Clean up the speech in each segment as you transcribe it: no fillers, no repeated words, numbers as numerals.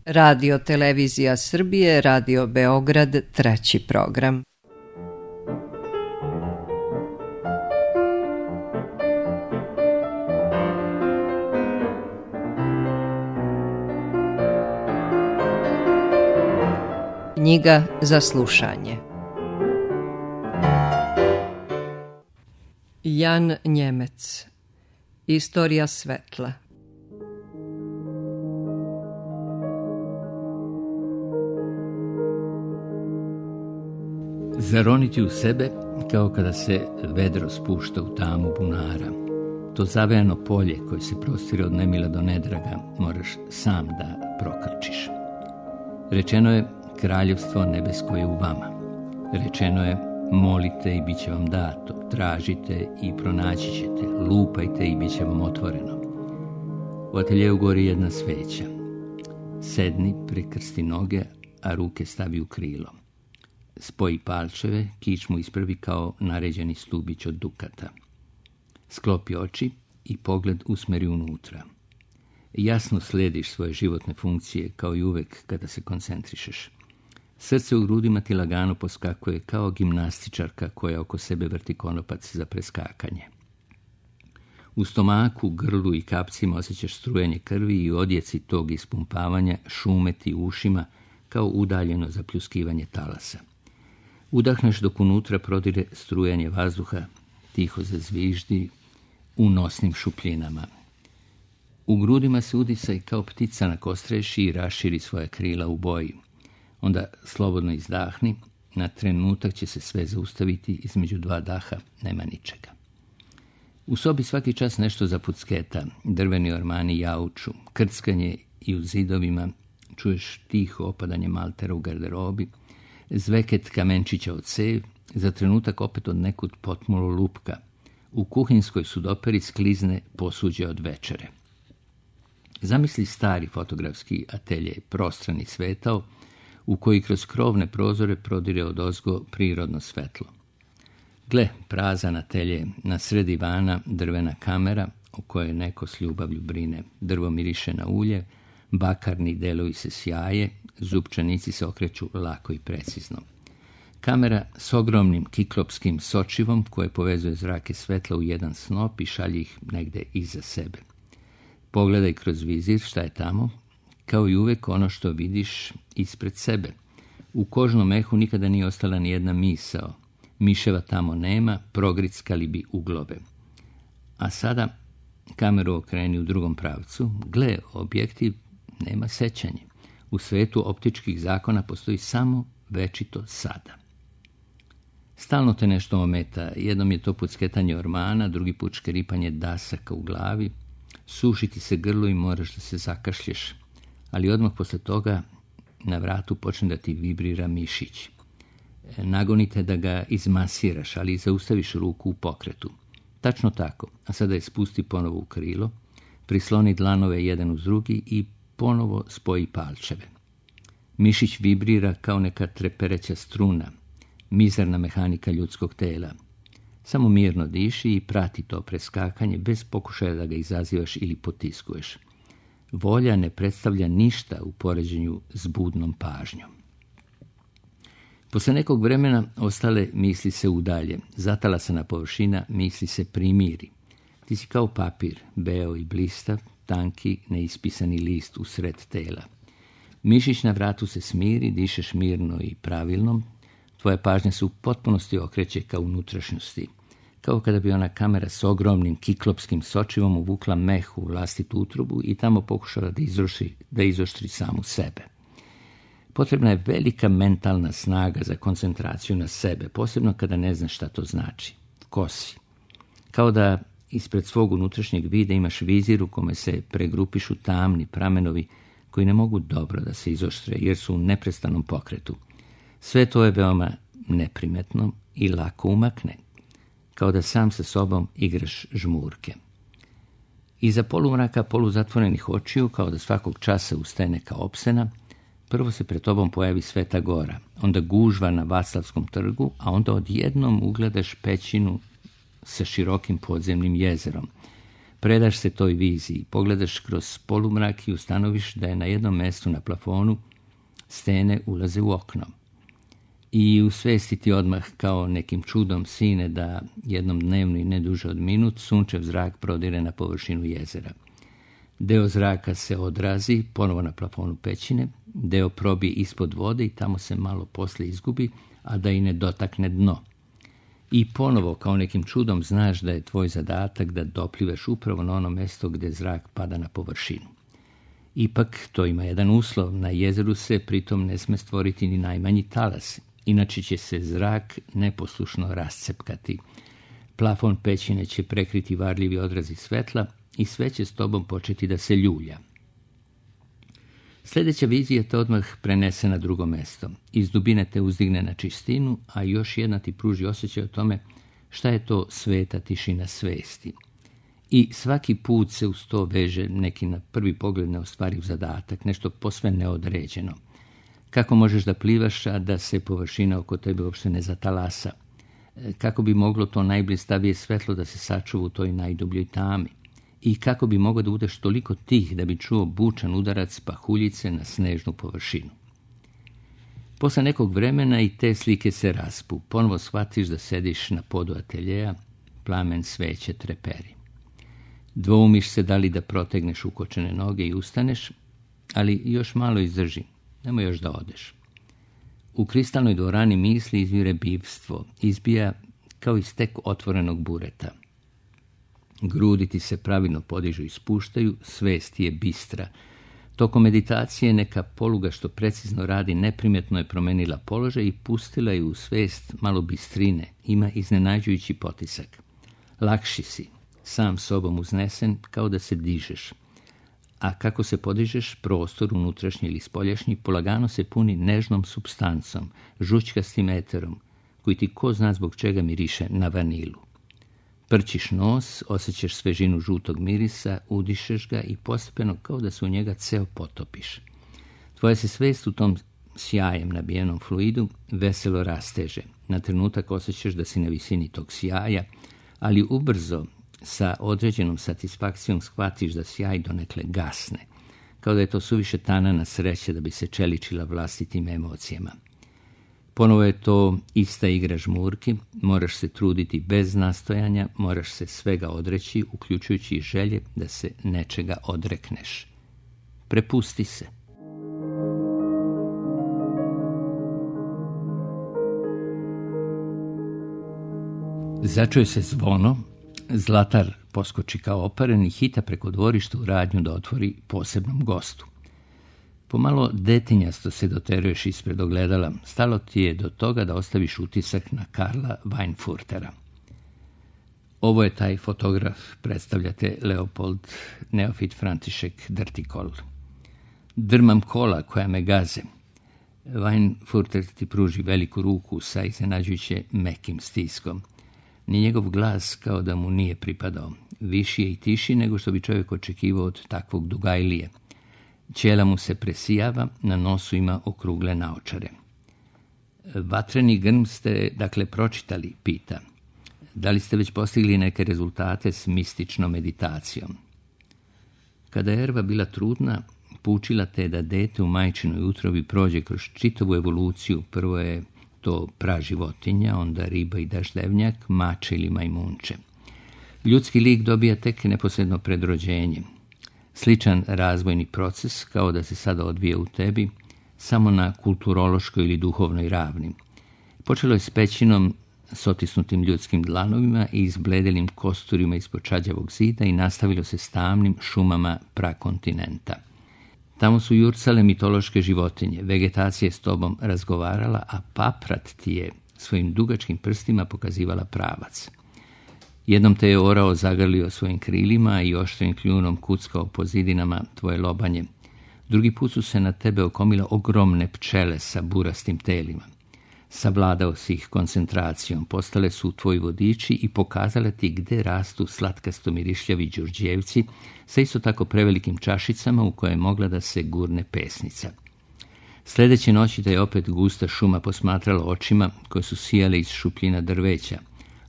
Radio Televizija Srbije, Radio Beograd, treći program. Knjiga za slušanje. Jan Njemec. Istorija svetla. Zaroniti u sebe kao kada se vedro spušta u tamu bunara. To zavejano polje koje se prostire od nemila do nedraga moraš sam da prokrčiš. Rečeno je, kraljevstvo nebesko je u vama. Rečeno je, molite i bit će vam dato, tražite i pronaći ćete, lupajte i bit će vam otvoreno. U ateljeu gori jedna sveća. Sedni, prekrsti noge, a ruke stavi u krilo. Spoji palčeve, kičmu ispravi kao naređeni stubić od dukata. Sklopi oči i pogled usmeri unutra. Jasno slediš svoje životne funkcije kao i uvek kada se koncentrišeš. Srce u grudima ti lagano poskakuje kao gimnastičarka koja oko sebe vrti konopac za preskakanje. U stomaku, grlu i kapcima osjećaš strujenje krvi i odjeci tog ispumpavanja šumeti u ušima kao udaljeno zapljuskivanje talasa. Udahneš dok unutra prodire strujanje vazduha, tiho zazviždi u nosnim šupljinama. U grudima se udisaj kao ptica na kostreši i raširi svoja krila u boji. Onda slobodno izdahni, na trenutak će se sve zaustaviti, između dva daha nema ničega. U sobi svaki čas nešto zapucketa, drveni ormani jauču, krckanje i u zidovima čuješ tiho opadanje maltera u garderobi, zveket kamenčića od cev, za trenutak opet od nekud potmulo lupka. U kuhinskoj sudoperi sklizne posuđe od večere. Zamisli stari fotografski atelje, prostrani svetao, u koji kroz krovne prozore prodire odozgo prirodno svetlo. Gle, prazan atelje, na sred divana drvena kamera, o kojoj neko s ljubavlju brine. Drvo miriše na ulje, bakarni delovi se sjaje, zupčanici se okreću lako i precizno. Kamera s ogromnim kiklopskim sočivom koje povezuje zrake svetla u jedan snop i šalje ih negde iza sebe. Pogledaj kroz vizir šta je tamo, kao i uvek ono što vidiš ispred sebe. U kožnom mehu nikada nije ostala ni jedna misao. Miševa tamo nema, progrickali bi uglobe. A sada kameru okreni u drugom pravcu. Gle, objektiv nema sećanje. U svetu optičkih zakona postoji samo večito sada. Stalno te nešto ometa. Jednom je to pucketanje ormana, drugi put škeripanje dasaka u glavi. Sušiti se grlo i moraš da se zakašlješ. Ali odmah posle toga na vratu počne da ti vibrira mišić. Nagonite da ga izmasiraš, ali zaustaviš ruku u pokretu. Tačno tako, a sada je spusti ponovo u krilo, prisloni dlanove jedan uz drugi i ponovo spoji palčeve. Mišić vibrira kao neka trepereća struna, mizerna mehanika ljudskog tela. Samo mirno diši i prati to preskakanje bez pokušaja da ga izazivaš ili potiskuješ. Volja ne predstavlja ništa u poređenju s budnom pažnjom. Posle nekog vremena ostale misli se udalje. Zatalasana površina misli se primiri. Ti si kao papir, beo i blistav, tanki, neispisani list usred tela. Mišić na vratu se smiri, dišeš mirno i pravilno. Tvoja pažnja se u potpunosti okreće ka unutrašnjosti. Kao kada bi ona kamera s ogromnim kiklopskim sočivom uvukla meh u vlastitu utrobu i tamo pokušala da izoštri samu sebe. Potrebna je velika mentalna snaga za koncentraciju na sebe, posebno kada ne znaš šta to znači. Ko si? Kao da ispred svog unutrašnjeg vida imaš vizir u kome se pregrupišu tamni pramenovi koji ne mogu dobro da se izoštre jer su u neprestanom pokretu. Sve to je veoma neprimetno i lako umakne, kao da sam sa sobom igraš žmurke. Iza polumraka poluzatvorenih očiju, kao da svakog časa ustaje neka opsena, prvo se pred tobom pojavi Sveta Gora, onda gužva na Vaclavskom trgu, a onda odjednom ugledaš pećinu sa širokim podzemnim jezerom. Predaš se toj viziji, pogledaš kroz polumrak i ustanoviš da je na jednom mjestu na plafonu stene ulaze u okno. I u svesti ti odmah kao nekim čudom sine da jednom dnevno i ne duže od minut sunčev zrak prodire na površinu jezera. Deo zraka se odrazi ponovo na plafonu pećine, deo probije ispod vode i tamo se malo poslije izgubi, a da i ne dotakne dno. I ponovo kao nekim čudom znaš da je tvoj zadatak da doplivaš upravo na ono mjesto gdje zrak pada na površinu. Ipak to ima jedan uslov, na jezeru se pritom ne sme stvoriti ni najmanji talas, inače će se zrak neposlušno rascepkati. Plafon pećine će prekriti varljivi odrazi svetla i sve će s tobom početi da se ljulja. Sljedeća vizija te odmah prenese na drugo mjesto. Iz dubine te uzdigne na čistinu, a još jedna ti pruži osjećaj o tome šta je to sveta tišina svesti. I svaki put se uz to veže neki na prvi pogled neostvariv zadatak, nešto posve neodređeno. Kako možeš da plivaš, a da se površina oko tebe uopšte ne zatalasa? Kako bi moglo to najblistavije svetlo da se sačuva u toj najdubljoj tami? I kako bi mogao da budeš toliko tih da bi čuo bučan udarac pahuljice na snežnu površinu? Posle nekog vremena i te slike se raspu. Ponovo shvatiš da sediš na podu ateljeja, plamen sveće treperi. Dvoumiš se da li da protegneš ukočene noge i ustaneš, ali još malo izdrži, nemoj još da odeš. U kristalnoj dvorani misli izvire bivstvo, izbija kao iz tek otvorenog bureta. Grudi ti se pravilno podižu i spuštaju, svest je bistra. Tokom meditacije neka poluga što precizno radi neprimjetno je promenila položaj i pustila je u svest malo bistrine, ima iznenađujući potisak. Lakši si, sam sobom uznesen, kao da se dižeš. A kako se podižeš, prostor unutrašnji ili spoljašnji polagano se puni nežnom supstancom, žućkastim eterom, koji ti ko zna zbog čega miriše na vanilu. Prčiš nos, osjećaš svežinu žutog mirisa, udišeš ga i postepeno kao da se u njega ceo potopiš. Tvoja se svest u tom sjajem nabijenom fluidu veselo rasteže. Na trenutak osjećaš da si na visini tog sjaja, ali ubrzo sa određenom satisfakcijom shvatiš da sjaj donekle gasne, kao da je to suviše tanana sreća da bi se čeličila vlastitim emocijama. Ponovo je to ista igra žmurki, moraš se truditi bez nastojanja, moraš se svega odreći, uključujući i želje da se nečega odrekneš. Prepusti se. Začuje se zvono, Zlatar poskoči kao oparen i hita preko dvorišta u radnju da otvori posebnom gostu. Pomalo detinjasto se doteruješ ispred ogledala, stalo ti je do toga da ostaviš utisak na Karla Weinfurtera. Ovo je taj fotograf, predstavljate Leopold Neofit František Drtikol. Drmam kola koja me gaze. Weinfurter ti pruži veliku ruku sa iznenađujuće mekim stiskom. Ni njegov glas kao da mu nije pripadao. Viši je i tiši nego što bi čovjek očekivao od takvog dugajlije. Ćela mu se presijava, na nosu ima okrugle naočare. Vatreni grm ste, dakle, pročitali, pita. Da li ste već postigli neke rezultate s mističnom meditacijom? Kada je Erva bila trudna, poučila te da dete u majčinoj utrobi prođe kroz čitavu evoluciju. Prvo je to praživotinja, onda riba i daždevnjak, mače ili majmunče. Ljudski lik dobija tek neposredno pred rođenjem. Sličan razvojni proces kao da se sada odvija u tebi, samo na kulturološkoj ili duhovnoj ravni. Počelo je s pećinom s otisnutim ljudskim dlanovima i izbledelim kosturima ispod čađavog zida i nastavilo se s tamnim šumama prakontinenta. Tamo su jurcale mitološke životinje, vegetacija je s tobom razgovarala, a paprat ti je svojim dugačkim prstima pokazivala pravac. Jednom te je orao zagrlio svojim krilima i oštrim kljunom kuckao po zidinama tvoje lobanje. Drugi put su se na tebe okomile ogromne pčele sa burastim telima. Savladao si ih koncentracijom, postale su tvoji vodiči i pokazale ti gde rastu slatkasto mirišljavi đurđevci sa isto tako prevelikim čašicama u koje je mogla da se gurne pesnica. Sljedeće noći te je opet gusta šuma posmatrala očima koje su sijale iz šupljina drveća,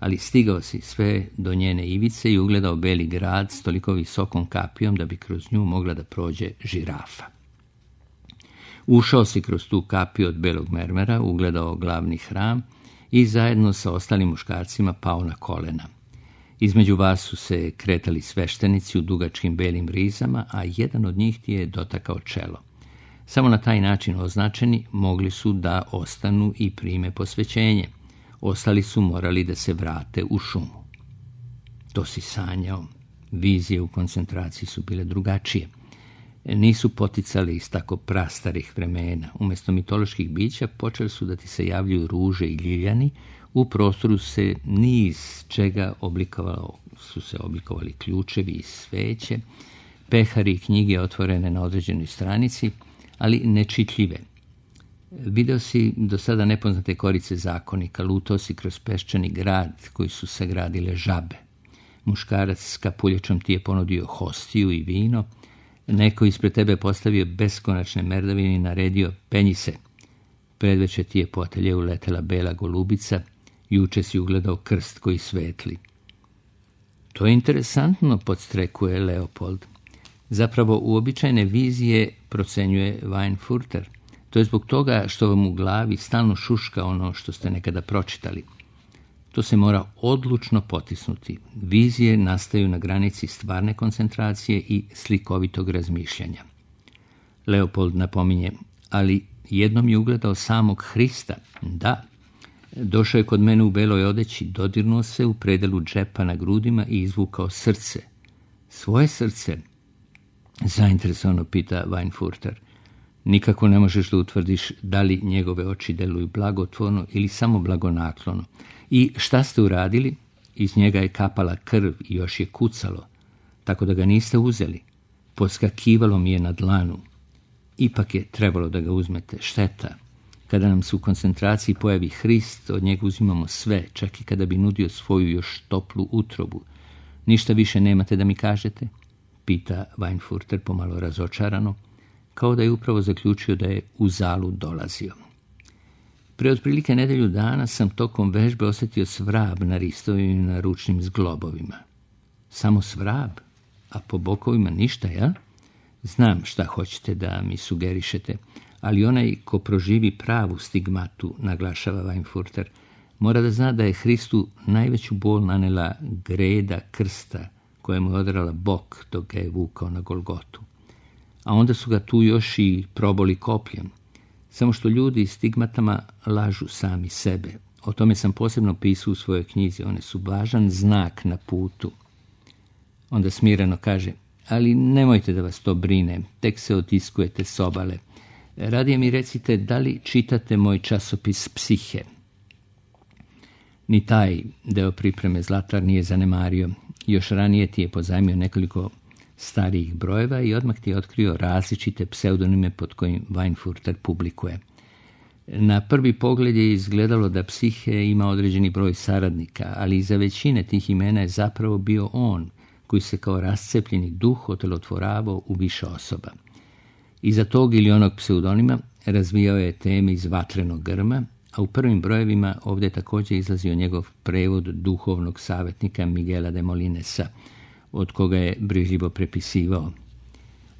ali stigao si sve do njene ivice i ugledao beli grad s toliko visokom kapijom da bi kroz nju mogla da prođe žirafa. Ušao si kroz tu kapiju od belog mermera, ugledao glavni hram i zajedno sa ostalim muškarcima pao na kolena. Između vas su se kretali sveštenici u dugačkim belim rizama, a jedan od njih ti je dotakao čelo. Samo na taj način označeni mogli su da ostanu i prime posvećenje. Ostali su morali da se vrate u šumu. To si sanjao. Vizije u koncentraciji su bile drugačije. Nisu poticali iz tako prastarih vremena. Umjesto mitoloških bića počeli su da ti se javljaju ruže i ljiljani. U prostoru se niz čega oblikovali ključevi i sveće, pehari i knjige otvorene na određenoj stranici, ali nečitljive. Video si do sada nepoznate korice zakonika, lutao si kroz peščani grad koji su sagradile žabe. Muškarac s kapuljačom ti je ponudio hostiju i vino, neko ispred tebe postavio beskonačne merdavine i naredio penji se. Predveče ti je po ateljeu letela bela golubica, juče si ugledao krst koji svetli. To je interesantno, podstrekuje Leopold. Zapravo uobičajene vizije procenjuje Weinfurter. To je zbog toga što vam u glavi stalno šuška ono što ste nekada pročitali. To se mora odlučno potisnuti. Vizije nastaju na granici stvarne koncentracije i slikovitog razmišljanja. Leopold napominje, ali jednom je ugledao samog Hrista. Da, došao je kod mene u beloj odeći, dodirnuo se u predelu džepa na grudima i izvukao srce. Svoje srce? Zainteresovano pita Weinfurter. Nikako ne možeš da utvrdiš da li njegove oči deluju blagotvorno ili samo blagonaklono. I šta ste uradili? Iz njega je kapala krv i još je kucalo, tako da ga niste uzeli. Podskakivalo mi je na dlanu. Ipak je trebalo da ga uzmete. Šteta. Kada nam se u koncentraciji pojavi Hrist, od njega uzimamo sve, čak i kada bi nudio svoju još toplu utrobu. Ništa više nemate da mi kažete? Pita Weinfurter pomalo razočarano, kao da je upravo zaključio da je u zalu dolazio. Pre otprilike nedelju dana sam tokom vežbe osjetio svrab na ristovima i na ručnim zglobovima. Samo svrab, a po bokovima ništa, ja? Znam šta hoćete da mi sugerišete, ali onaj ko proživi pravu stigmatu, naglašava Weinfurter, mora da zna da je Hristu najveću bol nanela greda krsta koja mu je odrala bok dok ga je vukao na Golgotu. A onda su ga tu još i proboli kopljem. Samo što ljudi stigmatama lažu sami sebe. O tome sam posebno pisao u svojoj knjizi. One su važan znak na putu. Onda smireno kaže, ali nemojte da vas to brine, tek se otiskujete s obale. Radije mi recite da li čitate moj časopis Psihe. Ni taj deo pripreme Zlatar nije zanemario. Još ranije ti je pozajmio nekoliko starijih brojeva i odmah ti je otkrio različite pseudonime pod kojim Weinfurter publikuje. Na prvi pogled je izgledalo da Psihe ima određeni broj saradnika, ali iza većine tih imena je zapravo bio on, koji se kao rascepljeni duh otelotvoravao u više osoba. Iza tog ili onog pseudonima razvijao je teme iz Vatrenog grma, a u prvim brojevima ovdje je također izlazio njegov prevod duhovnog savjetnika Miguela de Molinesa, od koga je brižljivo prepisivao.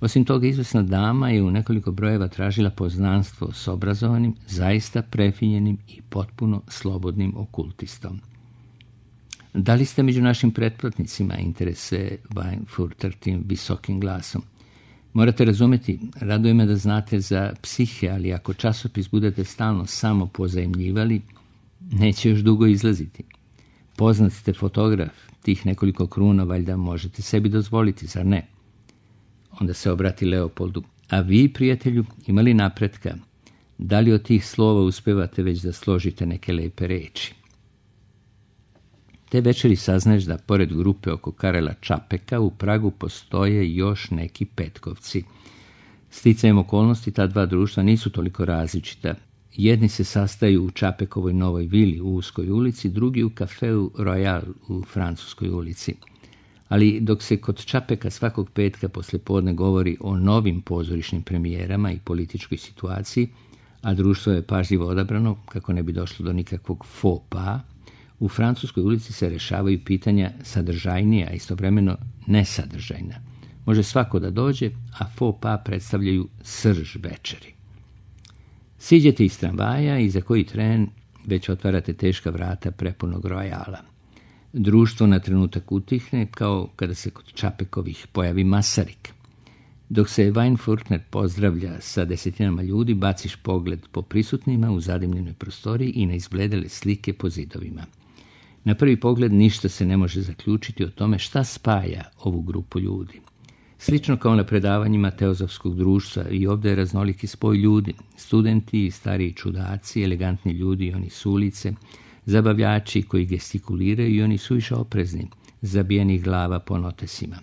Osim toga, izvesna dama je u nekoliko brojeva tražila poznanstvo s obrazovanim, zaista prefinjenim i potpuno slobodnim okultistom. Da li ste među našim pretplatnicima, interese Weinfurter tim visokim glasom? Morate razumjeti, raduje me da znate za Psihe, ali ako časopis budete stalno samo pozajmljivali, neće još dugo izlaziti. Poznat ste fotograf, tih nekoliko kruna valjda možete sebi dozvoliti, zar ne? Onda se obrati Leopoldu. A vi, prijatelju, imali napretka? Da li od tih slova uspevate već da složite neke lepe reči? Te večeri saznaješ da pored grupe oko Karela Čapeka u Pragu postoje još neki petkovci. Sticajem okolnosti ta dva društva nisu toliko različita. Jedni se sastaju u Čapekovoj novoj vili u Uskoj ulici, drugi u kafeu Royal u Francuskoj ulici. Ali dok se kod Čapeka svakog petka poslijepodne govori o novim pozorišnim premijerama i političkoj situaciji, a društvo je pažljivo odabrano kako ne bi došlo do nikakvog faux pas, U Francuskoj ulici se rešavaju pitanja sadržajnija, a istovremeno nesadržajna. Može svako da dođe, a faux pas predstavljaju srž večeri. Siđete iz tramvaja i za koji tren već otvarate teška vrata prepunog rojala. Društvo na trenutak utihne, kao kada se kod Čapekovih pojavi Masarik. Dok se Weinfurtner pozdravlja sa desetinama ljudi, baciš pogled po prisutnima u zadimljenoj prostoriji i na izbledele slike po zidovima. Na prvi pogled ništa se ne može zaključiti o tome šta spaja ovu grupu ljudi. Slično kao na predavanjima teozofskog društva, i ovdje je raznoliki spoj ljudi, studenti, stariji čudaci, elegantni ljudi i oni s ulice, zabavljači koji gestikuliraju i oni suviše oprezni, zabijenih glava po notesima.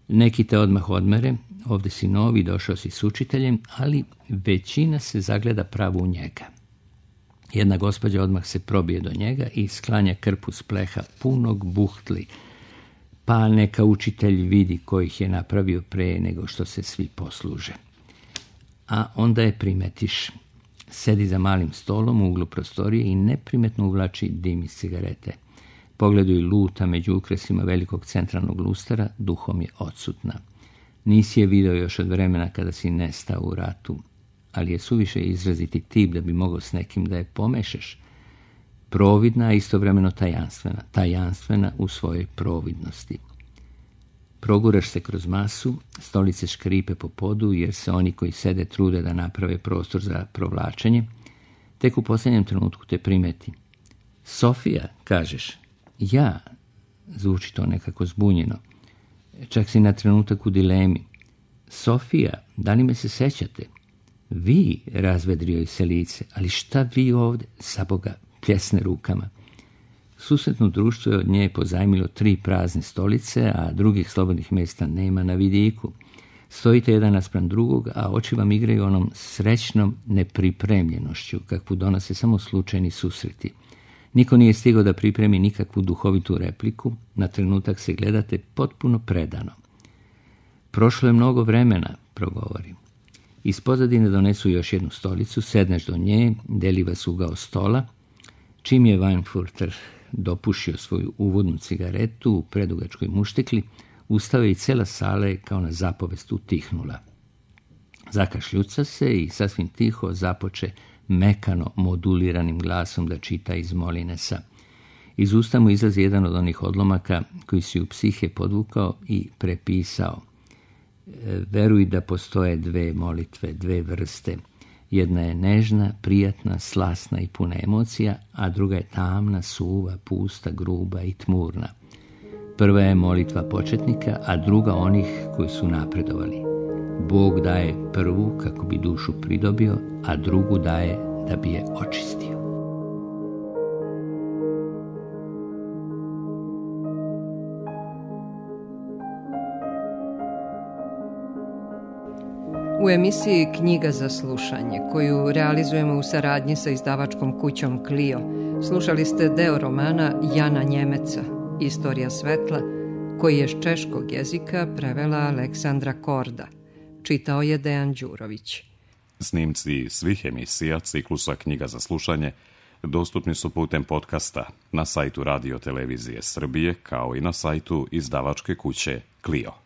Neki te odmah odmere, ovdje si novi, došao si s učiteljem, ali većina se zagleda pravo u njega. Jedna gospođa odmah se probije do njega i sklanja krpu s pleha punog buhtli, pa neka učitelj vidi kojih je napravio pre nego što se svi posluže. A onda je primetiš. Sedi za malim stolom u uglu prostorije i neprimetno uvlači dim iz cigarete. Pogledaju luta među ukresima velikog centralnog lustara, duhom je odsutna. Nisi je video još od vremena kada si nestao u ratu, ali je suviše izraziti tip da bi mogao s nekim da je pomešaš. Providna, a istovremeno tajanstvena. Tajanstvena u svojoj providnosti. Proguraš se kroz masu, stolice škripe po podu jer se oni koji sede trude da naprave prostor za provlačenje. Tek u posljednjem trenutku te primeti. Sofija, kažeš. Ja, zvuči to nekako zbunjeno. Čak si na trenutak u dilemi. Sofija, da li me se sećate? Vi, razvedrio je se lice, ali šta vi ovdje, za Boga, pljesne rukama. Susretno društvo je od nje pozajmilo 3 prazne stolice, a drugih slobodnih mjesta nema na vidiku. Stojite jedan naspram drugog, a oči vam igraju onom srećnom nepripremljenošću, kakvu donose samo slučajni susreti. Niko nije stigao da pripremi nikakvu duhovitu repliku, na trenutak se gledate potpuno predano. Prošlo je mnogo vremena, progovori. Iz pozadine donesu još jednu stolicu, sedneš do nje, deli vas ugao stola. Čim je Weinfurter dopušio svoju uvodnu cigaretu u predugačkoj muštikli, ustao je i cela sala je kao na zapovest utihnula. Zakašljuca se i sasvim tiho započe mekano moduliranim glasom da čita iz Molinesa. Iz usta mu izlazi jedan od onih odlomaka koji si u psihe podvukao i prepisao. Veruj da postoje 2 molitve, 2 vrste. Jedna je nežna, prijatna, slasna i puna emocija, a druga je tamna, suva, pusta, gruba i tmurna. Prva je molitva početnika, a druga onih koji su napredovali. Bog daje prvu kako bi dušu pridobio, a drugu daje da bi je očistio. U emisiji Knjiga za slušanje, koju realizujemo u saradnji sa izdavačkom kućom Clio, slušali ste deo romana Jana Njemeca, Istorija svetla, koji je s češkog jezika prevela Aleksandra Korda. Čitao je Dejan Đurović. Snimci svih emisija ciklusa Knjiga za slušanje dostupni su putem podcasta na sajtu Radio Televizije Srbije, kao i na sajtu izdavačke kuće Clio.